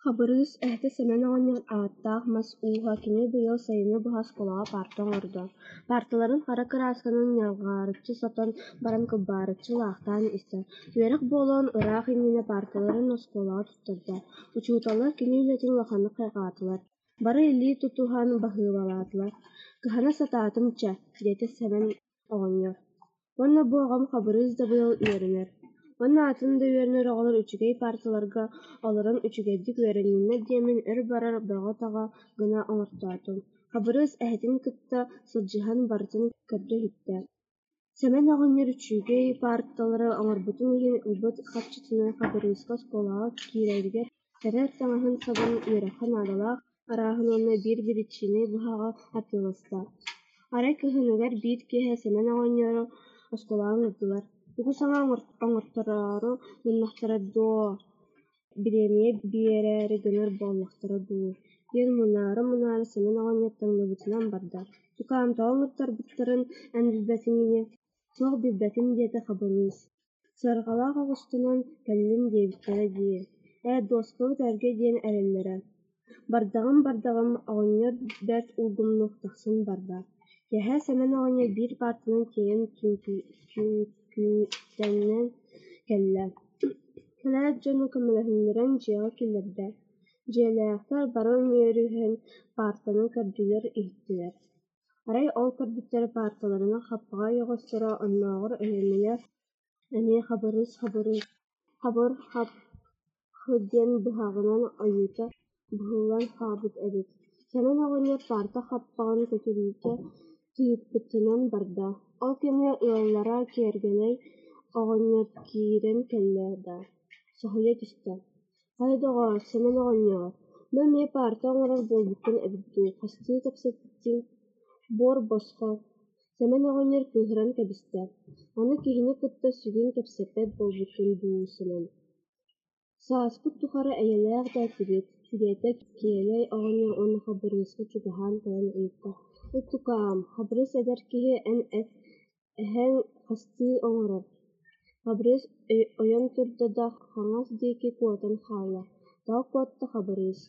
Хабырыыс эһэтэ Сэмэн оҕонньор ааттаах мас ууһа, кини быйыл сайыны быһа оскуолаҕа паарта оҥордо, паарталарын хара кыраасканан ньалҕаарыччы сотон баран кылбаарыччы лаахтаан истэ, үөрэх буолуон ыраах иннинэ паарталарын оскуолаҕа туттарда, учууталлар кини үлэтин улаханнык хайҕаатылар, бары илии тутуһан баһыыбалаатылар, «Кыһана сатаатым чэ» диэтэ Сэмэн оҕонньор, «Уонна бу оҕом Хабырыыс да быйыл үөрэнэр, уонна атын да үөрэнэр оҕолор үчүгэй паарталарга олорон үчүгэйдик үөрэнниннэр диэммин өр барар бөҕө-таҕа гына оҥортоотум» Хабырыыс эһэтин кытта сылдьыһан барытын көрдө-иһиттэ. Сэмэн оҕонньор үчүгэй паарталары оҥорбутун иһин ылбыт харчытынан Хабырыыска оскуолаҕа киирэригэр кэтэр таҥаһын-сабын, үөрэххэ наадалаах арааһын уонна биир билииччинэй быһаҕы атыыласта. Арай кыһыныгар биир киэһэ Сэмэн оҕонньору оскуолаҕа ыҥырдылар: «Тугу саҥа оҥортороору гыннахтара доо, бириэмийэ биэрээри гынар буоллахтара дуу» диэн мунаара-мунаара Сэмэн оҕонньор таҥныбытынан барда: «Тукаам, тоҕо ыҥыртарбыттарын эн билбэтиҥ ини?» «Суох билбэтим» диэтэ Хабырыыс, «Сыарҕалаах оҕустанан кэллин диэбиттэрэ дии, ээ, дуоскабыт эргэ диэн эрэллэрэ» Бардаҕым-бардаҕым, оҕонньор бэрт улгумнук тахсан барда. Киэһэ Сэмэн оҕонньор биир паартанан тиэйэн түҥкүтэн кэллэ. Кэлээт дьону көмөлөһүннэрэн дьиэҕэ киллэрдэ. Дьиэлээхтэр бары үмүөрүһэн паартаны көрдүлэр-иһиттилэр. Арай ол көрбүттэрэ паарталарын хаппаҕа ойоҕосторо оннооҕор өһүөмүнэ эмиэ Хабырыыс Хабырыыс хабыр-хап Х диэн быһаҕынан ойуута быһыллан хаалбыт эбит. Сэмэн оҕонньор паарта хаппаҕын көтүрүүтэ тыыппытынан барда. Ол кэмҥэ ыаллара Киэргэнэй оҕонньор киирэн кэллэ да, соһуйа түстэ: «Хайа, доҕоор, Сэмэн оҕонньоор, бу эмиэ паарта оҥорор буолбуккун эбит дуу, хастыы кэпсэттиҥ, буор босхо» Сэмэн оҕонньор кыыһыран кэбистэ: «Аны киһини кытта сүгүн кэпсэппэт буолбуккун дуу, Сэмэн Сааспыт тухары эйэлээх да этибит» диэтэ Киэлэй оҕонньор уонна Хабырыыска чугаһаан кэлэн ыйытта: «Тукаам, Хабырыыс эдэр киһи эн эһэҥ хастыы оҥорор?» Хабырыыс ойон турда да хаҥас диэки куотан хаалла, тоҕо куотта Хабырыыс?